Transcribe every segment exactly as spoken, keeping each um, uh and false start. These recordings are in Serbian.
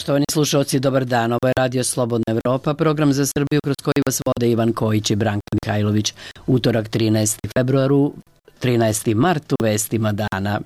Poštovani slušalci, dobar dan. Ovo je Radio Slobodna Evropa, program za Srbiju kroz koji vas vode Ivan Kojić i Branka Mihajlović. Utorak trinaesti februar, trinaesti mart u vestima dana.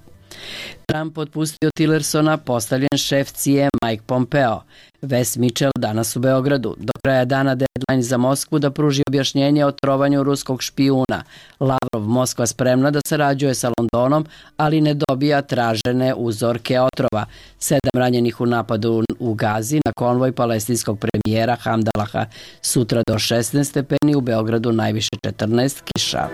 Trump otpustio Tillersona, postavljen šef C I A Mike Pompeo. Wes Mitchell danas u Beogradu. Do kraja dana deadline za Moskvu da pruži objašnjenje o trovanju ruskog špijuna. Lavrov, Moskva spremna da sarađuje sa Londonom, ali ne dobija tražene uzorke otrova. Sedam ranjenih u napadu u Gazi na konvoj palestinskog premijera Hamdalaha. Sutra do šesnaest stepeni, u Beogradu najviše četrnaest, kiša.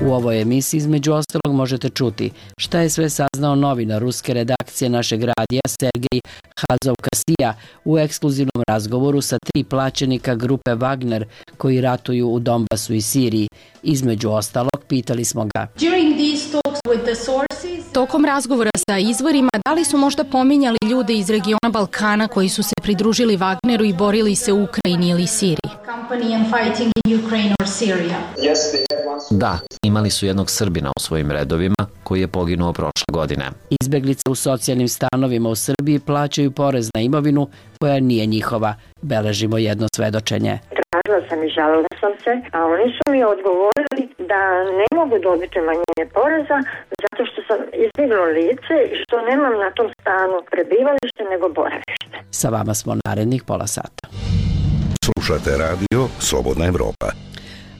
U ovoj emisiji između ostalog možete čuti šta je sve saznao novinar ruske redakcije našeg radija Sergej Hazovkasija u ekskluzivnom razgovoru sa tri plaćenika grupe Wagner koji ratuju u Donbasu i Siriji. Između ostalog, pitali smo ga. Tokom razgovora sa izvorima, da li su možda pominjali ljude iz regiona Balkana koji su se pridružili Wagneru i borili se u Ukrajini ili Siriji? Da, imali su jednog Srbina u svojim redovima koji je poginuo prošle godine. Izbeglice u socijalnim stanovima u Srbiji plaćaju porez na imovinu koja nije njihova. Beležimo jedno svedočenje. Tražila sam i žalila sam se, a oni su mi odgovorili da ne mogu dobiti umanjenje poreza zato što sam izbjeglo lice i što nemam na tom stanu prebivalište nego boravište. Sa vama smo narednih pola sata. Slušate radio Slobodna Evropa.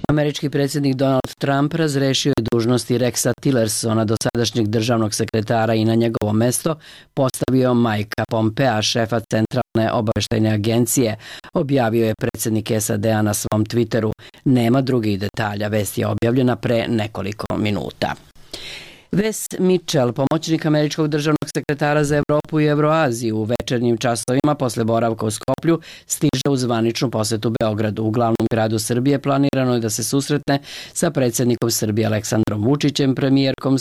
Američki predsjednik Donald Trump razrešio je dužnosti Rexa Tillersona, dosadašnjeg državnog sekretara, i na njegovo mesto postavio Mikea Pompea, šefa Centralne obavještajne agencije, objavio je predsjednik S A D-a na svom Twitteru. Nema drugih detalja, vest je objavljena pre nekoliko minuta. Wes Mitchell, pomoćnik američkog državnog sekretara za Evropu i Evroaziju, u večernjim časovima posle boravka u Skoplju stiže u zvaničnu posetu Beogradu. U glavnom gradu Srbije planirano je da se susretne sa predsjednikom Srbije Aleksandrom Vučićem, premijerkom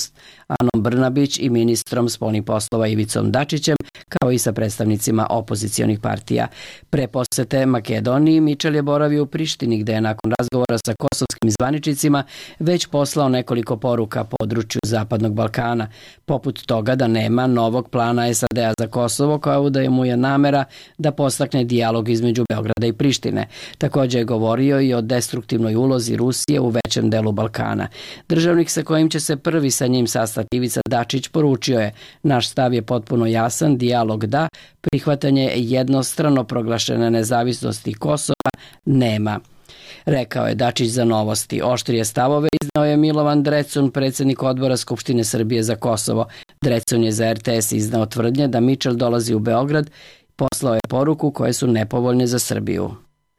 Anom Brnabić i ministrom spoljnih poslova Ivicom Dačićem, kao i sa predstavnicima opozicionih partija. Pre posete Makedoniji, Mitchell je boravio u Prištini, gde je nakon razgovora sa kosovskim zvaničnicima već poslao nekoliko poruka području Zapadnog Balkana, poput toga da nema novog plana S A D-a za Kosovo, kao da mu je namera da podstakne dijalog između Beograda i Prištine. Također je govorio i o destruktivnoj ulozi Rusije u većem delu Balkana. Državnik sa kojim će se prvi sa njim sastati Ivica Dačić poručio je: naš stav je potpuno jasan, dijalog da, prihvatanje jednostrano proglašene nezavisnosti Kosova nema. Rekao je Dačić za Novosti. Oštrije stavove iznao je Milovan Drecun, predsjednik odbora Skupštine Srbije za Kosovo. Drecun je za R T S iznao tvrdnje da Mitchell dolazi u Beograd i poslao je poruku koje su nepovoljne za Srbiju.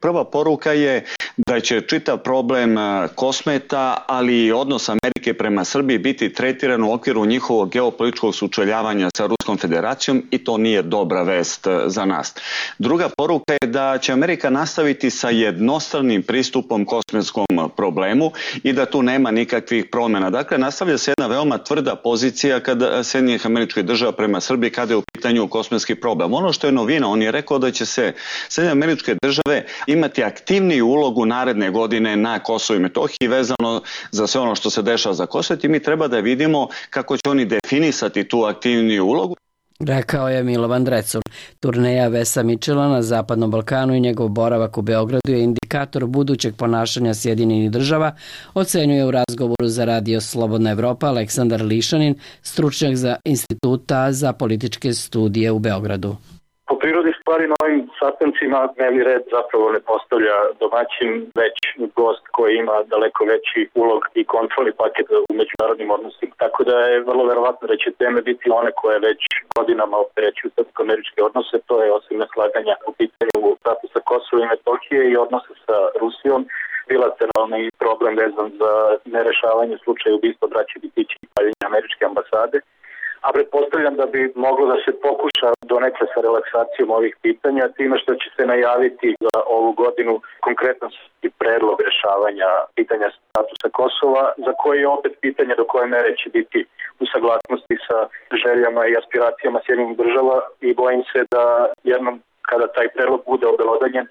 Prva poruka je da će čitav problem Kosmeta, ali i odnos Amerike prema Srbiji biti tretiran u okviru njihovog geopolitičkog sučeljavanja sa Ruskom federacijom i to nije dobra vest za nas. Druga poruka je da će Amerika nastaviti sa jednostranim pristupom kosmetskom problemu i da tu nema nikakvih promjena. Dakle, nastavlja se jedna veoma tvrda pozicija kada Sjedinjenih Američkih Država prema Srbiji kada je u pitanju kosmetski problem. Ono što je novina, on je rekao da će se Sjedinjene Američke Države imati aktivniju ulogu naredne godine na Kosovu i Metohiji vezano za sve ono što se dešava za Kosovo i mi treba da vidimo kako će oni definisati tu aktivniju ulogu. Rekao je Milovan Drecun. Turneja Wesa Mitchella na Zapadnom Balkanu i njegov boravak u Beogradu je indikator budućeg ponašanja Sjedinjenih Država, ocenjuje u razgovoru za Radio Slobodna Evropa Aleksandar Lišanin, stručnjak za Instituta za političke studije u Beogradu. Po prirodi stvari na ovim sastancima dnevni red zapravo ne postavlja domaćin, već gost koji ima daleko veći ulog i kontrolni paket u međunarodnim odnosima. Tako da je vrlo verovatno da će teme biti one koje već godinama opterećuju srpsko-američke odnose. To je osim neslaganja u pitanju statusa Kosova i Metohije i odnose sa Rusijom, bilateralni problem vezan za nerešavanje slučaja ubistva braće Bitići i paljenja američke ambasade. A pretpostavljam da bi moglo da se pokuša donekle sa relaksacijom ovih pitanja, time što će se najaviti za ovu godinu konkretno predlog rešavanja pitanja statusa Kosova, za koje je opet pitanje do koje mere će biti u saglasnosti sa željama i aspiracijama Sjedinjenih Država i bojim se da jednom kada taj predlog bude obelodanjen,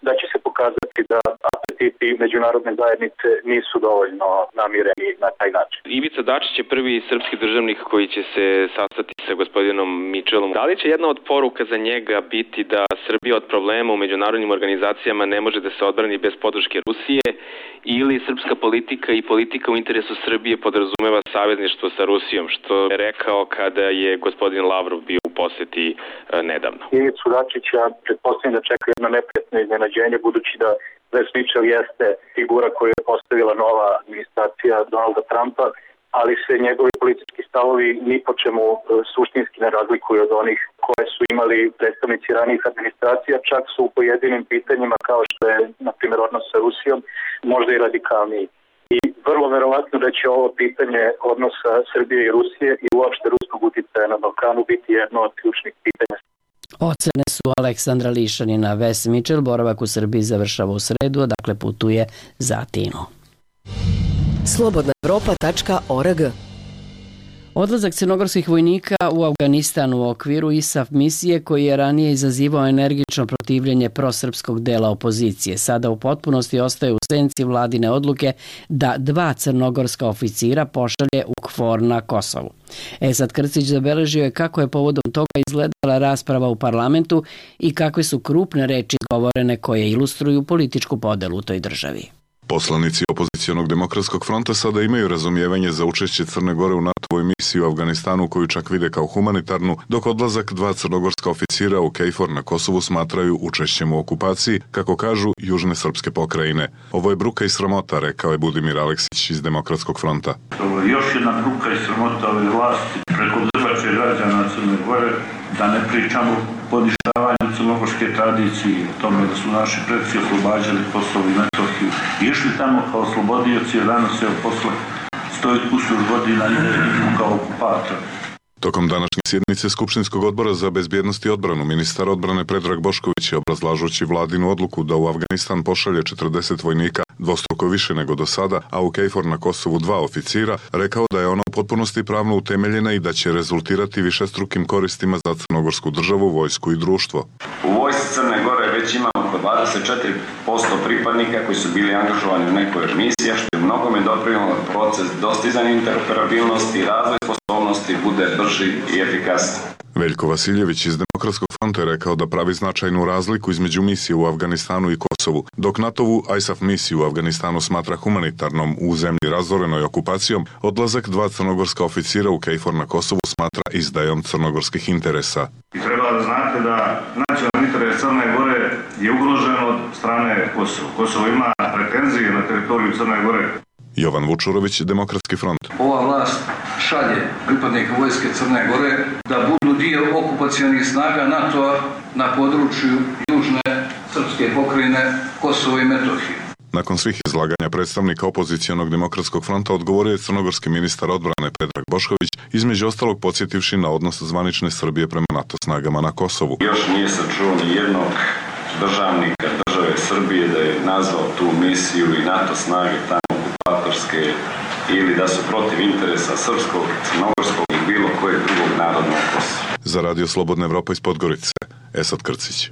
da će se pokazati da apetiti međunarodne zajednice nisu dovoljno namireni na taj način. Ivica Dačić je prvi srpski državnik koji će se sastati sa gospodinom Mitchellom. Da li će jedna od poruka za njega biti da Srbija od problema u međunarodnim organizacijama ne može da se odbrani bez podrške Rusije, ili srpska politika i politika u interesu Srbije podrazumeva savezništvo sa Rusijom, što je rekao kada je gospodin Lavrov bio u poseti e, nedavno? Ivicu Dačića pretpostavljam da čeka jedno neprijatno iznenađenje, budući da Wes Mitchell jeste figura koju je postavila nova administracija Donalda Trumpa, ali se njegovi politički stavovi ni po čemu suštinski ne razlikuju od onih koje su imali predstavnici ranijih administracija, čak su u pojedinim pitanjima kao što je, na primjer, odnos sa Rusijom, možda i radikalniji. I vrlo verovatno da će ovo pitanje odnosa Srbije i Rusije i uopšte ruskog uticaja na Balkanu biti jedno od ključnih pitanja. Ocene su Aleksandra Lišanina. Wes Mitchell boravak u Srbiji završava u sredu, a dakle putuje za Atinu. slobodna evropa tačka org. Odlazak crnogorskih vojnika u Afganistan u okviru I S A F misije, koji je ranije izazivao energično protivljenje prosrpskog dela opozicije, sada u potpunosti ostaje u senci vladine odluke da dva crnogorska oficira pošalje u KFOR na Kosovu. Esad Krcić zabeležio je kako je povodom toga izgledala rasprava u parlamentu i kakve su krupne reči izgovorene koje ilustruju političku podelu u toj državi. Poslanici opozicionog demokratskog fronta sada imaju razumijevanje za učešće Crne Gore u NATO-voj misiji u Afganistanu, koju čak vide kao humanitarnu, dok odlazak dva crnogorska oficira u KFOR na Kosovu smatraju učešćem u okupaciji, kako kažu južne srpske pokrajine. Ovo je bruka i sramota, rekao je Budimir Aleksić iz Demokratskog fronta. Ovo je još jedna bruka i sramota ove vlasti preko držače građana Crne Gore, da ne pričamo poništavanju crnogorske tradicije, o tome da su naši predci oslobađali Kosovo i Metohiju. Išli tamo kao oslobodioci, a danas je posle sto kusur godina i kao okupator. Tokom današnje sjednice Skupštinskog odbora za bezbjednost i odbranu, ministar odbrane Predrag Bošković je, obrazlažući vladinu odluku da u Afganistan pošalje četrdeset vojnika, dvostruko više nego do sada, a u KFOR na Kosovu dva oficira, rekao da je ona u potpunosti pravno utemeljena i da će rezultirati višestrukim koristima za crnogorsku državu, vojsku i društvo. U vojsci Crne Gore već imamo oko dvadeset četiri posto pripadnika koji su bili angažovani u nekoj od misija, što je mnogome doprinijelo proces dostizanja interoperabilnosti i razvoj sposobnosti bude brži i efikasniji. Veljko Vasiljević iz Demokratskog fronta je rekao da pravi značajnu razliku između misije u Afganistanu i Kosovu, dok NATO-vu I S A F misiju u Afganistanu smatra humanitarnom u zemlji razorenoj okupacijom, odlazak dva crnogorska oficira u KFOR na Kosovu smatra izdajom crnogorskih interesa. I treba da znate da nacionalni interes Crne Gore je ugrožen od strane Kosova. Kosovo ima pretenzije na teritoriju Crne Gore. Jovan Vučurović, Demokratski front. Ova vlast šalje pripadnike vojske Crne Gore da budu dio okupacionih snaga NATO-a na području južne srpske pokrajine Kosovo i Metohije. Nakon svih izlaganja predstavnika opozicionog Demokratskog fronta odgovorio je crnogorski ministar odbrane Predrag Bošković, između ostalog podsjetivši na odnos zvanične Srbije prema NATO snagama na Kosovu. Još nije se čuo ni jednog državnika države Srbije da je nazvao tu misiju i NATO snage tamo okupatorske ili da su protiv interesa srpskog, crnogorskog i bilo kojeg drugog naroda na Kosovu. Za Radio Slobodna Evropa iz Podgorice, Esad Krcić.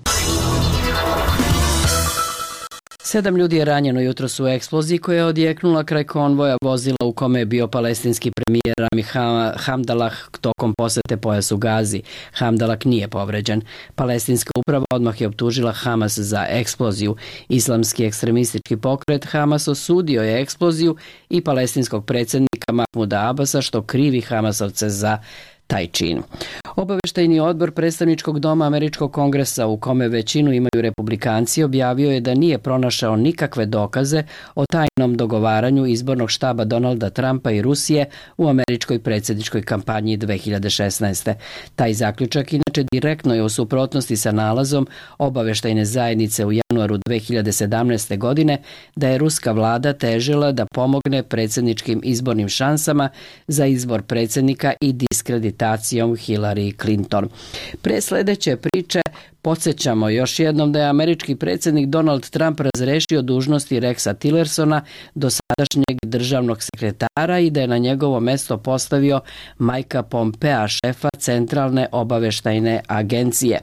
Sedam ljudi je ranjeno jutros u eksploziji koja je odjeknula kraj konvoja vozila u kome je bio palestinski premijer Rami Hamdalah tokom posete pojasu Gazi. Hamdalah nije povređen. Palestinska uprava odmah je optužila Hamas za eksploziju. Islamski ekstremistički pokret Hamas osudio je eksploziju i palestinskog predsjednika Mahmuda Abasa, što krivi Hamasovce za taj čin. Obaveštajni odbor predstavničkog doma Američkog kongresa, u kome većinu imaju republikanci, objavio je da nije pronašao nikakve dokaze o tajnom dogovaranju izbornog štaba Donalda Trumpa i Rusije u američkoj predsjedničkoj kampanji dve hiljade šesnaeste. Taj zaključak inače direktno je u suprotnosti sa nalazom obaveštajne zajednice u januaru dve hiljade sedamnaeste. godine da je ruska vlada težila da pomogne predsjedničkim izbornim šansama za izbor predsjednika i diskreditacijom Hillary Clinton. Pre sledeće priče Podsjećamo još jednom da je američki predsjednik Donald Trump razrešio dužnosti Rexa Tillersona, dosadašnjeg državnog sekretara, i da je na njegovo mesto postavio Mikea Pompea, šefa Centralne obaveštajne agencije.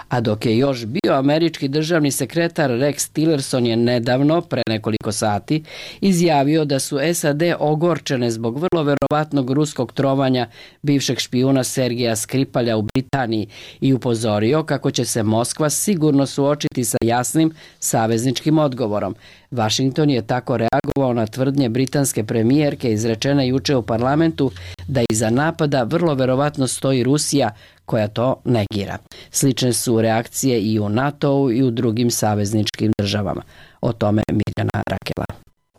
A dok je još bio američki državni sekretar, Rex Tillerson je nedavno, pre nekoliko sati, izjavio da su S A D ogorčene zbog vrlo verovatnog ruskog trovanja bivšeg špijuna Sergeja Skripalja u Britaniji i upozorio kako će se Moskva sigurno suočiti sa jasnim savezničkim odgovorom. Washington je tako reagovao na tvrdnje britanske premijerke izrečene juče u parlamentu da iza napada vrlo verovatno stoji Rusija, koja to negira. Slične su reakcije i u NATO-u i u drugim savezničkim državama. O tome Mirjana Rakela.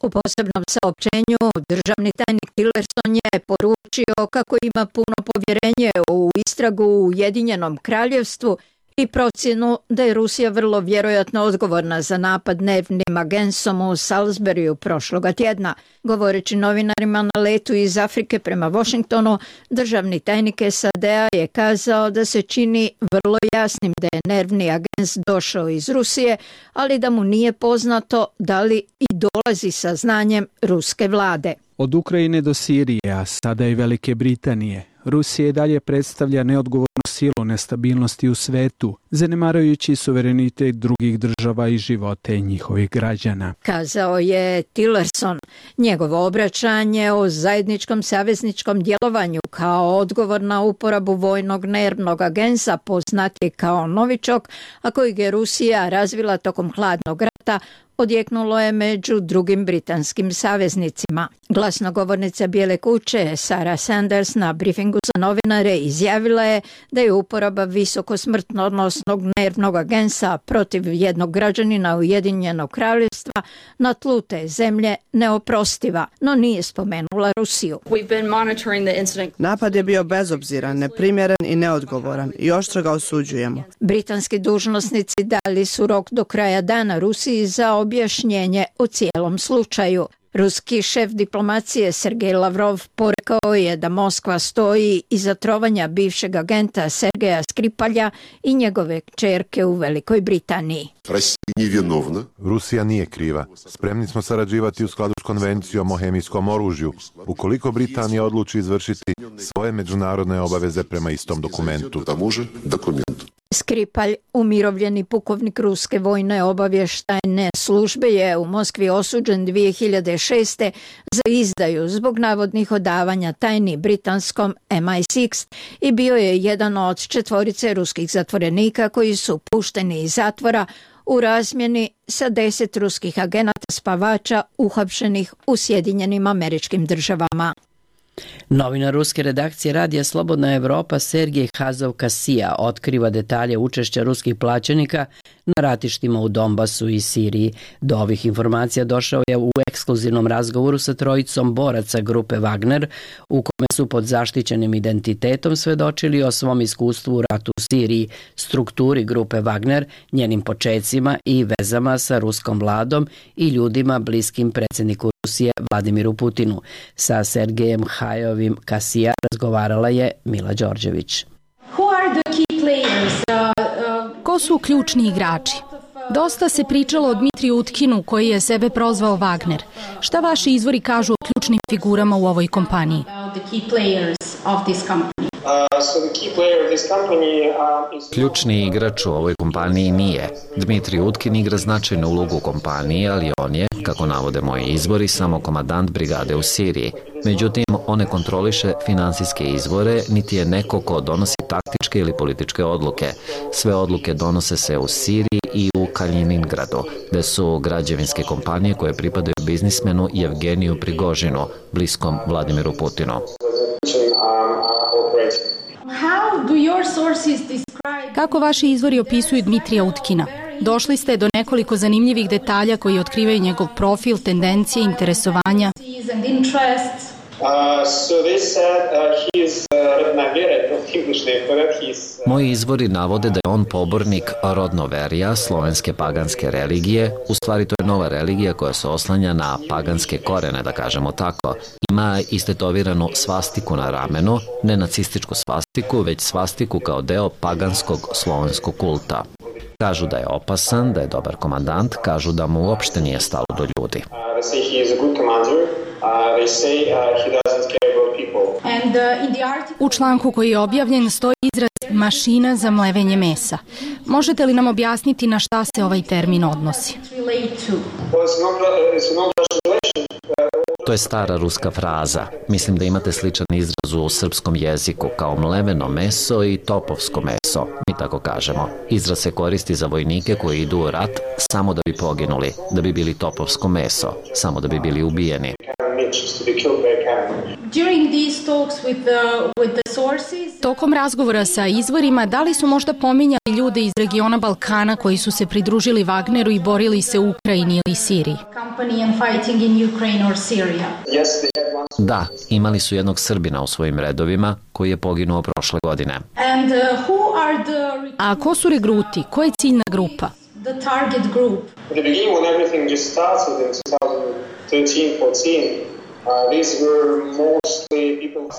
U posebnom saopćenju državni tajnik Tillerson je poručio kako ima puno povjerenje u istragu u Ujedinjenom kraljevstvu i procjenu da je Rusija vrlo vjerojatno odgovorna za napad dnevnim agensom u Salisburyu prošloga tjedna. Govoreći novinarima na letu iz Afrike prema Washingtonu, državni tajnik S A D-a je kazao da se čini vrlo jasnim da je nervni agens došao iz Rusije, ali da mu nije poznato da li i dolazi sa znanjem ruske vlade. Od Ukrajine do Sirije, a sada i Velike Britanije, Rusija i dalje predstavlja neodgovornu silu nestabilnosti u svetu, zanemarujući suverenitet drugih država i živote njihovih građana. Kazao je Tillerson. Njegovo obraćanje o zajedničkom savezničkom djelovanju kao odgovor na uporabu vojnog nervnog agensa poznat je kao novičok, a kojeg je Rusija razvila tokom hladnog rata, odjeknulo je među drugim britanskim saveznicima. Glasnogovornica Bijele kuće Sarah Sanders na briefingu za novinare izjavila je da je uporaba visoko smrtonosnog nervnog agensa protiv jednog građanina Ujedinjenog kraljevstva na tlu te zemlje neoprostiva, no nije spomenula Rusiju. Napad je bio bezobziran, neprimjeren i neodgovoran i oštro ga osuđujemo. Britanski dužnosnici dali su rok do kraja dana Rusiji za objašnjenje o cijelom slučaju. Ruski šef diplomacije Sergej Lavrov porekao je da Moskva stoji iza trovanja bivšeg agenta Sergeja Skripalja i njegove kćerke u Velikoj Britaniji. Rusija nije kriva. Spremni smo sarađivati u skladu s konvencijom o hemijskom oružju, ukoliko Britanija odluči izvršiti svoje međunarodne obaveze prema istom dokumentu. Skripalj, umirovljeni pukovnik ruske vojne obavještajne službe, je u Moskvi osuđen dvije hiljade šeste. za izdaju zbog navodnih odavanja tajni britanskom M I šest i bio je jedan od četvorice ruskih zatvorenika koji su pušteni iz zatvora u razmjeni sa deset ruskih agenata spavača uhapšenih u Sjedinjenim Američkim Državama. Novinar ruske redakcije Radija Slobodna Evropa Sergej Hazov-Kasija otkriva detalje učešća ruskih plaćenika na ratištima u Donbasu i Siriji. Do ovih informacija došao je u ekskluzivnom razgovoru sa trojicom boraca grupe Wagner, u kome su pod zaštićenim identitetom svedočili o svom iskustvu u ratu u Siriji, strukturi grupe Wagner, njenim počecima i vezama sa ruskom vladom i ljudima bliskim predsjedniku Rusije Vladimiru Putinu. Sa Sergejem Hajovim Kasija razgovarala je Mila Đorđević. Ko su ključni igrači? Dosta se pričalo o Dmitriju Utkinu, koji je sebe prozvao Wagner. Šta vaši izvori kažu o ključnim figurama u ovoj kompaniji? Ključni igrač u ovoj kompaniji nije. Dmitrij Utkin igra značajnu ulogu u kompaniji, ali on je, kako navode moji izvori, samo komandant brigade u Siriji. Međutim, on ne kontroliše finansijske izvore, niti je neko ko donosi taktičke ili političke odluke. Sve odluke donose se u Siriji i u Kaliningradu, gde su građevinske kompanije koje pripadaju biznismenu Jevgeniju Prigožinu, bliskom Vladimiru Putinu. Kako vaši izvori opisuju Dmitrija Utkina? Došli ste do nekoliko zanimljivih detalja koji otkrivaju njegov profil, tendencije, interesovanja. Moji izvori navode da je on pobornik rodnoverija, slovenske paganske religije. U stvari to je nova religija koja se oslanja na paganske korene, da kažemo tako. Ima istetoviranu svastiku na ramenu, ne nacističku svastiku, već svastiku kao deo paganskog slovenskog kulta. Kažu da je opasan, da je dobar komandant, kažu da mu uopšte nije stalo do ljudi. U članku koji je objavljen stoji izraz mašina za mlevenje mesa. Možete li nam objasniti na šta se ovaj termin odnosi? To je stara ruska fraza. Mislim da imate sličan izraz u srpskom jeziku kao mleveno meso i topovsko meso. Mi tako kažemo. Izraz se koristi za vojnike koji idu u rat samo da bi poginuli, da bi bili topovsko meso, samo da bi bili ubijeni. Tokom razgovora sa izvorima, da li su možda pominjali ljude iz regiona Balkana koji su se pridružili Wagneru i borili se u Ukrajini ili Siriji? Da, imali su jednog Srbina u svojim redovima koji je poginuo prošle godine. A ko su regruti? Ko je ciljna grupa?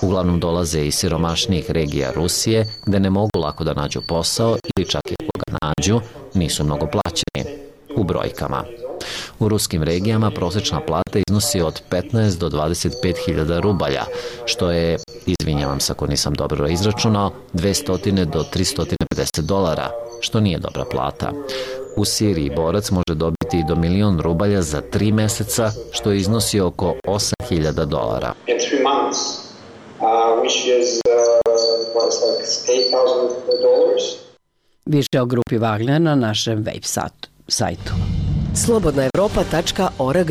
Uglavnom dolaze iz siromašnijih regija Rusije, gde ne mogu lako da nađu posao ili čak i ako ga nađu, nisu mnogo plaćeni. U brojkama. U ruskim regijama prosječna plata iznosi od petnaest do dvadeset pet hiljada rubalja, što je, izvinjavam se ako nisam dobro izračunao, dvesta do trista pedeset dolara, što nije dobra plata. U Siriji borac može dobiti i do milion rubalja za tri meseca, što iznosi oko osam hiljada dolara. Više o grupi Wagner na našem web sajtu. slobodna evropa tačka org.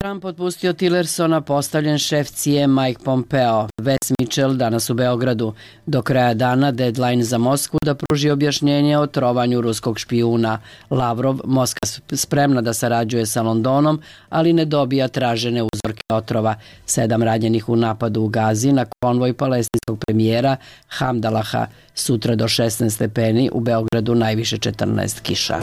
Trump otpustio Tillersona, postavljen šef C I A Mike Pompeo. Wes Mitchell danas u Beogradu. Do kraja dana deadline za Moskvu da pruži objašnjenje o trovanju ruskog špijuna. Lavrov, Moskva spremna da sarađuje sa Londonom, ali ne dobija tražene uzorke otrova. Sedam ranjenih u napadu u Gazi na konvoj palestinskog premijera Hamdalaha. Sutra do šesnaest stepeni, u Beogradu najviše četrnaest, kiša.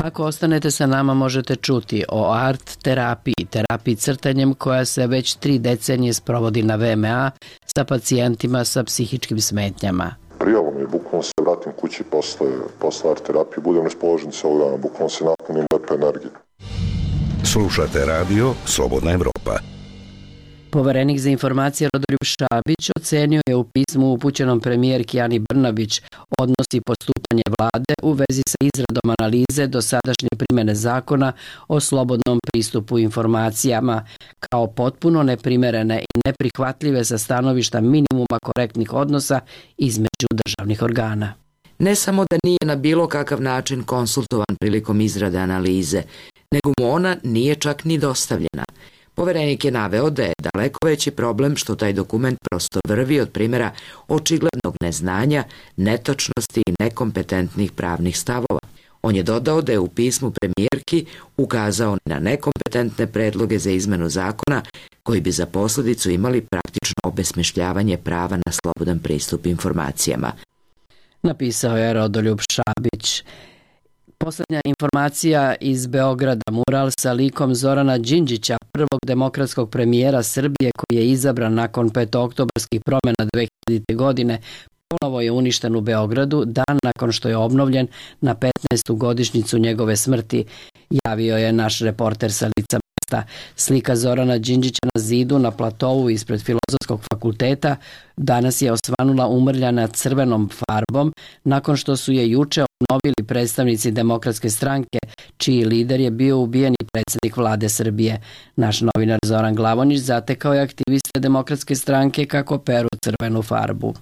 Ako ostanete sa nama, možete čuti o art terapiji, terapiji crtanjem koja se već tri decenije sprovodi na V M A sa pacijentima sa psihičkim smetnjama. Prijalo mi je, bukvalno se vratim kući posle, posle art terapije, budem raspoložen celog dana, bukvalno se napunim lepe energije. Slušate radio Slobodna Evropa. Poverenik za informacije Rodoljub Šabić ocenio je u pismu upućenom premijerki Ani Brnabić odnos i postupanje vlade u vezi sa izradom analize dosadašnje primjene zakona o slobodnom pristupu informacijama kao potpuno neprimerene i neprihvatljive sa stanovišta minimuma korektnih odnosa između državnih organa. Ne samo da nije na bilo kakav način konsultovan prilikom izrade analize, nego mu ona nije čak ni dostavljena. Poverenik je naveo da je daleko veći problem što taj dokument prosto vrvi od primjera očiglednog neznanja, netočnosti i nekompetentnih pravnih stavova. On je dodao da je u pismu premijerki ukazao na nekompetentne predloge za izmenu zakona koji bi za posljedicu imali praktično obesmišljavanje prava na slobodan pristup informacijama. Napisao je Rodoljub Šabić. Poslednja informacija iz Beograda, mural sa likom Zorana Đinđića, prvog demokratskog premijera Srbije koji je izabran nakon petooktobarskih promjena dve hiljadite. godine, ponovo je uništen u Beogradu dan nakon što je obnovljen na petnaestu godišnjicu njegove smrti, javio je naš reporter sa lica mesta. Slika Zorana Đinđića na zidu na platovu ispred Filozofskog fakulteta danas je osvanula umrljana crvenom farbom nakon što su je juče obnovili predstavnici Demokratske stranke, čiji lider je bio ubijeni predsjednik vlade Srbije. Naš novinar Zoran Glavonić zatekao je aktiviste Demokratske stranke kako peru crvenu farbu.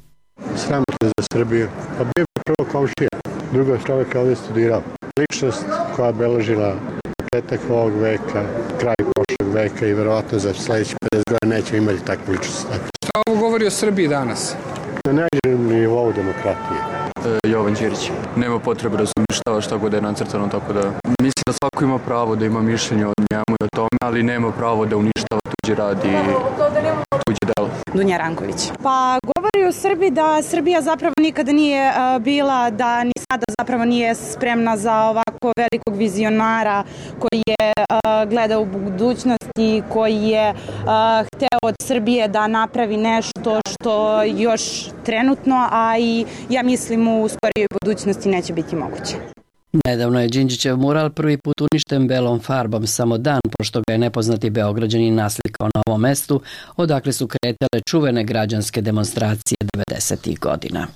Sramotno za Srbiju. Pa bio je prvo komšija, drugo čovjek ovdje studirao. Ličnost koja je beležila početak ovog veka, kraj prošlog veka i verovatno za sljedeći pedeset godina neće imati takvu ličnost. Šta ovo govori o Srbiji danas? Na najnižem nivou demokratije. E, Jovan Ćirić. Nema potrebe da se uništava šta god je nacrtano, tako da mislim da svako ima pravo da ima mišljenje o njemu i o tome, ali nema pravo da uništava tuđi rad i tuđe delo. Dunja Ranković. Pa govori o Srbiji da Srbija zapravo nikada nije uh, bila da ni vlada zapravo nije spremna za ovako velikog vizionara koji je uh, gledao u budućnosti, koji je uh, hteo od Srbije da napravi nešto što još trenutno, a i ja mislim u skorijoj budućnosti neće biti moguće. Nedavno je Đinđićev mural prvi put uništen belom farbom samo dan pošto ga je nepoznati Beograđanin naslikao na ovom mestu, odakle su kretale čuvene građanske demonstracije devedesetih godina.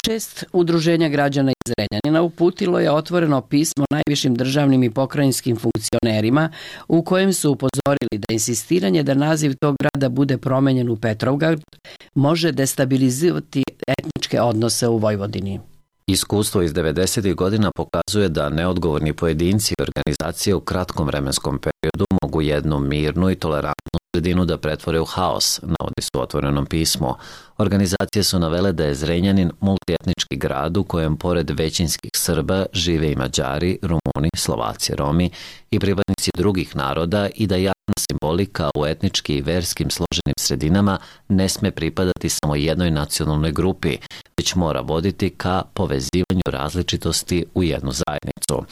Šest udruženja građana iz Zrenjanina uputilo je otvoreno pismo najvišim državnim i pokrajinskim funkcionerima u kojem su upozorili da insistiranje da naziv tog grada bude promenjen u Petrovgrad može destabilizirati etničke odnose u Vojvodini. Iskustvo iz devedesetih godina pokazuje da neodgovorni pojedinci i organizacije u kratkom vremenskom periodu mogu jednu mirnu i tolerantnu sredinu da pretvore u haos, navodi su u otvorenom pismu. Organizacije su navele da je Zrenjanin multietnički grad u kojem pored većinskih Srba žive i Mađari, Rumuni, Slovaci, Romi i pripadnici drugih naroda i da javna simbolika u etnički i verskim složenim sredinama ne sme pripadati samo jednoj nacionalnoj grupi, već mora voditi ka povezivanju različitosti u jednu zajednicu.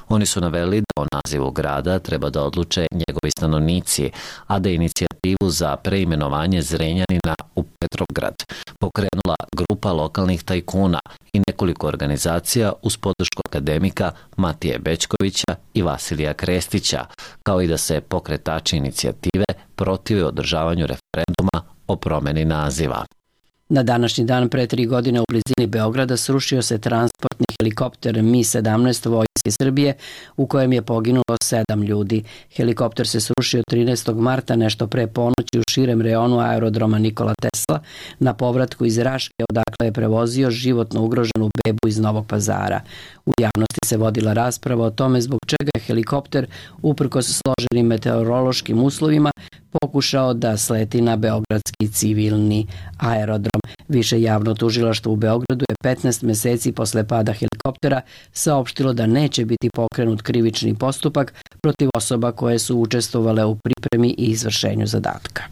Oni su naveli da o nazivu grada treba da odluče njegovi stanovnici, a da inicijativu za preimenovanje Zrenjanina u Petrovgrad pokrenula grupa lokalnih tajkuna i nekoliko organizacija uz podršku akademika Matije Bećkovića i Vasilija Krestića, kao i da se pokretači inicijative protive održavanju referenduma o promeni naziva. Na današnji dan pre tri godine u blizini Beograda srušio se transportni helikopter Mi sedamnaest Vojske Srbije u kojem je poginulo sedam ljudi. Helikopter se srušio trinaestog marta nešto pre ponoći u širem reonu aerodroma Nikola Tesla na povratku iz Raške odakle je prevozio životno ugroženu bebu iz Novog Pazara. U javnosti se vodila rasprava o tome zbog čega je helikopter uprkos složenim meteorološkim uslovima pokušao da sleti na beogradski civilni aerodrom. Više javno tužilaštvo u Beogradu je petnaest meseci posle pada helikoptera saopštilo da neće biti pokrenut krivični postupak protiv osoba koje su učestvovale u pripremi i izvršenju zadatka.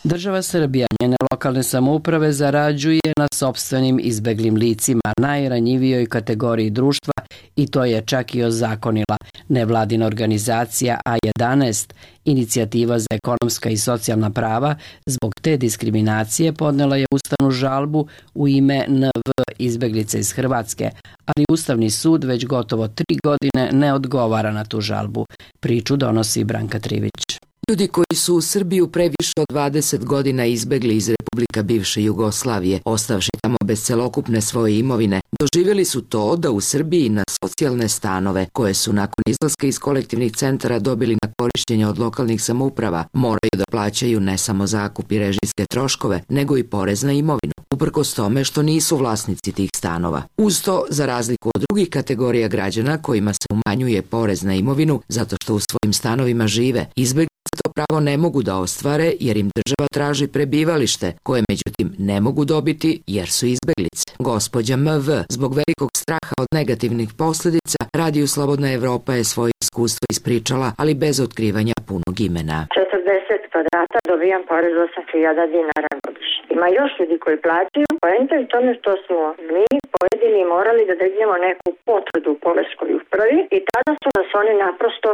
Država Srbija, njene lokalne samouprave zarađuje na sopstvenim izbeglim licima, najranjivijoj kategoriji društva, i to je čak i ozakonila nevladina organizacija A jedanaest, inicijativa za ekonomska i socijalna prava. Zbog te diskriminacije podnela je ustavnu žalbu u ime N V izbeglice iz Hrvatske, ali Ustavni sud već gotovo tri godine ne odgovara na tu žalbu. Priču donosi Branka Trivić. Ljudi koji su u Srbiju previše od dvadeset godina izbegli iz Republika bivše Jugoslavije, ostavši tamo bez celokupne svoje imovine, doživjeli su to da u Srbiji na socijalne stanove, koje su nakon izlaska iz kolektivnih centara dobili na korišćenje od lokalnih samouprava, moraju da plaćaju ne samo zakup i režijske troškove, nego i porez na imovinu, uprkos tome što nisu vlasnici tih stanova. Uz to, za razliku od drugih kategorija građana kojima se umanjuje porez na imovinu zato što u svojim stanovima žive, izbegli to pravo ne mogu da ostvare jer im država traži prebivalište, koje međutim ne mogu dobiti jer su izbeglice. Gospođa M V zbog velikog straha od negativnih posljedica Radio Slobodna Evropa je svoje iskustvo ispričala, ali bez otkrivanja punog imena. četrdeset kvadrata dobijam porez osam hiljada dinara godišnje. Ima još ljudi koji plaćaju, poenta je u tome što smo mi pojedini morali da dignemo neku potvrdu u poreskoj upravi i tada su nas oni naprosto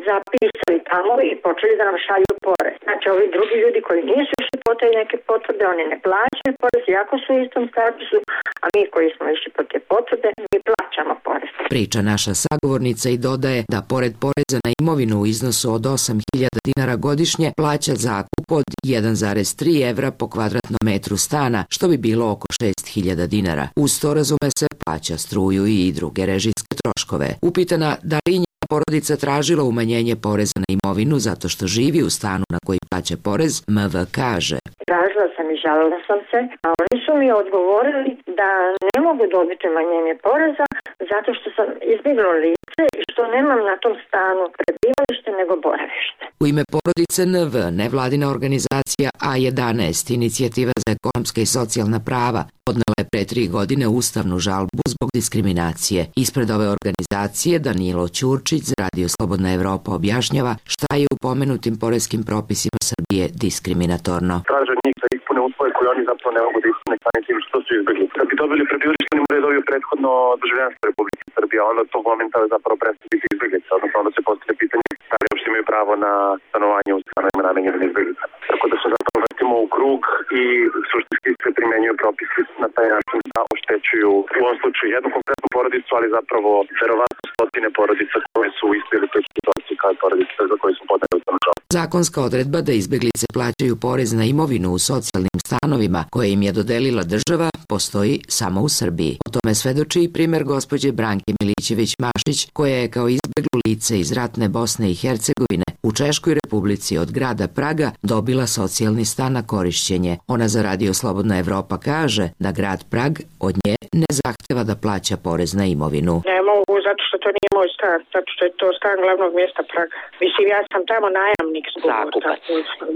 zapisali tamo i počeli da nam šalju porez. Znači, ovi drugi ljudi koji nisu išli po te neke potvrde, oni ne plaćaju porez, iako su u istom statusu, a mi koji smo išli po te potvrde, mi plaćamo porez. Priča naša sagovornica i dodaje da pored poreza na imovinu u iznosu od osam hiljada dinara godišnje plaća zakup od jedan zarez tri evra po kvadratnom metru stana, što bi bilo oko šest hiljada dinara. Uz to, razume se, plaća struju i druge režijske troškove. Upitana da li njena porodica tražila umanjenje poreza na imovinu zato što živi u stanu na koji plaća porez, M V kaže: Tražila sam i žalila sam se, a oni su mi odgovorili da ne mogu dobiti umanjenje poreza zato što sam izbjeglo lice i što nemam na tom stanu prebivalište nego boravište. U ime porodice N V, nevladina organizacija A jedanaest, inicijativa za ekonomska i socijalna prava, podnela je pre tri godine ustavnu žalbu zbog diskriminacije. Ispred ove organizacije Danilo Ćurčić za Radio Slobodna Evropa objašnjava šta je u pomenutim poreskim propisima Srbije diskriminatorno. Traže njih da ispune uslove koje oni zapravo ne mogu da ispune samim tim što su izbjegli. Da bi dobili prebivalište, oni moraju dobiju prethodno državljanstvo Republike Srbije, a onda to momenta zapravo prestaje biti izbjeglica, odnosno onda se postavlja pitanje da li uopšte imaju pravo na stanovanje u stanovima namenjenim izbjeglica. Tako da se zapravo vrtimo u krug i suštinski se primenjuju propisi na taj način da oštećuju u ovom slučaju jednu konkretnu porodicu, ali zapravo verovatno stotine porodica koje su u istoj ili toj situaciji kao porodice za koje su podneli ustavnu žalbu. Zakonska odredba da izbeglice plaćaju porez na imovinu u socijalnim stanovima koje im je dodelila država postoji samo u Srbiji. O tome svedoči i primer gospođe Branke Milićević-Mašić, koja je kao izbeglo lice iz ratne Bosne i Hercegovine u Češkoj Republici od grada Praga dobila socijalni stan na korišćenje. Ona za Radio Slobodna Evropa kaže da grad Prag od nje ne zahteva da plaća porez na imovinu. Ne mogu, zato što to nije moj stan, zato što je to stan glavnog mjesta Praga. Mislim, ja sam tamo najamnik. Zakupac.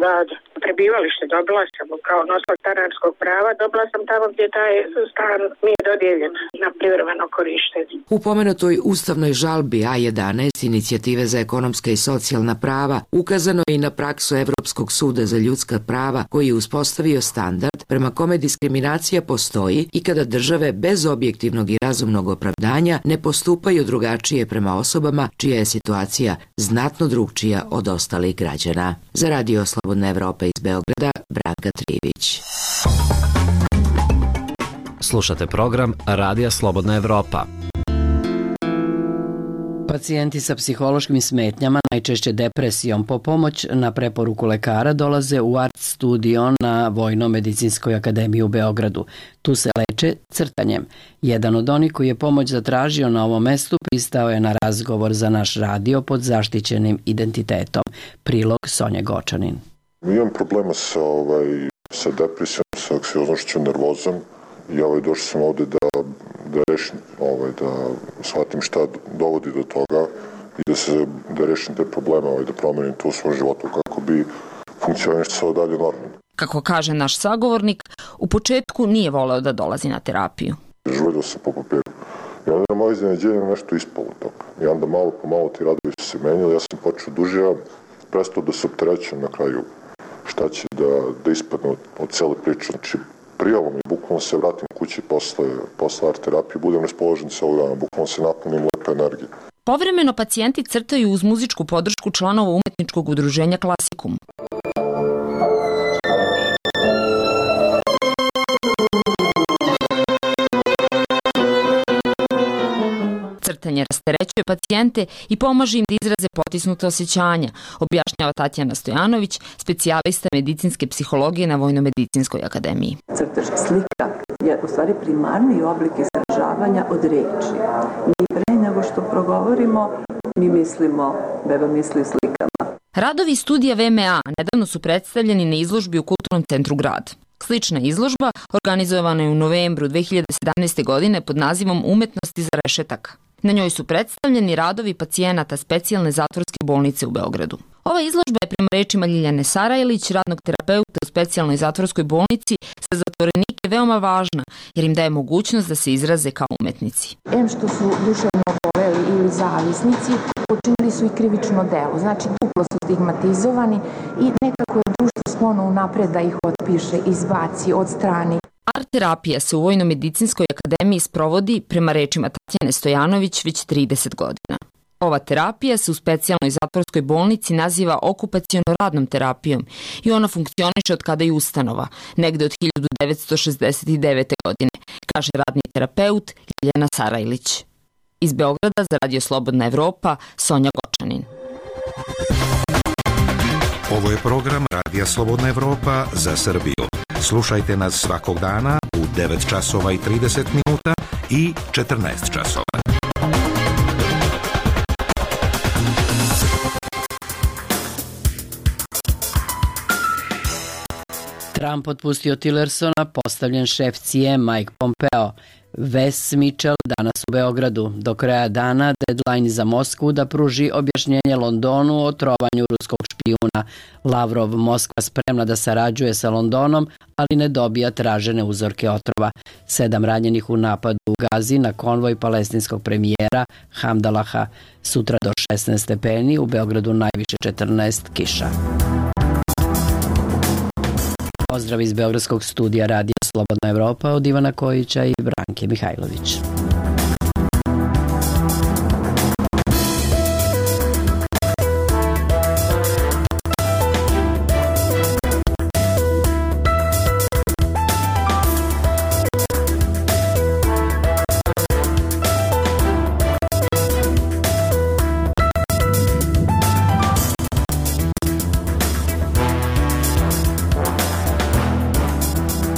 Da, da. Prebivalište dobila sam kao nosilac stanarskog prava, dobila sam tamo gdje taj stan mi je dodijeljen na privremeno korištenje. U pomenutoj ustavnoj žalbi A jedanaest Inicijative za ekonomska i socijalna prava ukazano je i na praksu Evropskog suda za ljudska prava koji je uspostavio standard prema kome diskriminacija postoji i kada države bez objektivnog i razumnog opravdanja ne postupaju drugačije prema osobama čija je situacija znatno drugčija od ostalih građana. Za Radio Slobodna Evropa iz Beograda, Branka Trivić. Slušate program Radija Slobodna Evropa. Pacijenti sa psihološkim smetnjama, najčešće depresijom, po pomoć na preporuku lekara dolaze u Art Studio na Vojno-medicinskoj akademiji u Beogradu. Tu se leče crtanjem. Jedan od onih koji je pomoć zatražio na ovom mestu pristao je na razgovor za naš radio pod zaštićenim identitetom. Prilog Sonja Gočanin. Imam problema sa, ovaj, sa depresijom, sa anksioznošću, nervozom i ovaj, došao sam ovde da, da rešim, ovaj, da shvatim šta dovodi do toga i da se da rešim te probleme, ovaj, da promenim to u svom životu kako bi funkcionisao dalje normalno. Kako kaže naš sagovornik, u početku nije voleo da dolazi na terapiju. Žuljio sam po papiru. I onda na moje iznenađenje nešto ispalo toga. I onda malo po malo ti radovi su se menjali, ja sam počeo dužio, prestao da se opterećam na kraju šta će da, da ispadne od, od cele priče. Znači, prijavom i bukvalno se vratim kući posle, posle art terapije, budem raspoložen celog dana, bukvalno se napunim lepe energije. Povremeno pacijenti crtaju uz muzičku podršku članova umetničkog udruženja Klasikum. Crtanje rasterećuje pacijente i pomaže im da izraze potisnuta osjećanja, objašnjava Tatjana Stojanović, specijalista medicinske psihologije na Vojno-medicinskoj akademiji. Crtež slika je u stvari primarni oblik izražavanja od reči. Mi pre nego što progovorimo, mi mislimo, beba misli slikama. Radovi studija V M A nedavno su predstavljeni na izložbi u Kulturnom centru Grad. Slična izložba organizovana je u novembru dve hiljade sedamnaeste. godine pod nazivom Umetnost iza rešetaka. Na njoj su predstavljeni radovi pacijenata specijalne zatvorske bolnice u Beogradu. Ova izložba je prema rečima Ljiljane Sarajlić, radnog terapeuta u specijalnoj zatvorskoj bolnici, za zatvorenike veoma važna jer im daje mogućnost da se izraze kao umetnici. Em što su duševno oboleli ili zavisnici, počinili su i krivično delo, znači duplo su stigmatizovani i nekako je društvo sklono unapred da ih otpiše, izbaci, odstrani. Art terapija se u Vojno-medicinskoj akademiji sprovodi, prema rečima Tatjane Stojanović, već trideset godina. Ova terapija se u specijalnoj zatvorskoj bolnici naziva okupaciono-radnom terapijom i ona funkcioniše od kada je ustanova, negde od hiljadu devetsto šezdeset devete. godine, kaže radni terapeut Ljiljana Sarajlić. Iz Beograda za Radio Slobodna Evropa, Sonja Gočanin. Ovo je program Radija Slobodna Evropa za Srbiju. Slušajte nas svakog dana u devet časova i trideset minuta i četrnaest časova. Trump otpustio Tillersona, postavljen šef C I A Mike Pompeo. Wes Mitchell danas u Beogradu. Do kraja dana deadline za Moskvu da pruži objašnjenje Londonu o trovanju ruskog špijuna. Lavrov, Moskva spremna da sarađuje sa Londonom, ali ne dobija tražene uzorke otrova. Sedam ranjenih u napadu u Gazi na konvoj palestinskog premijera Hamdalaha. Sutra do šesnaest stepeni, u Beogradu najviše četrnaest, kiša. Pozdrav iz Beogradskog studija Radija Slobodna Evropa od Ivana Kojića i Branke Mihajlović.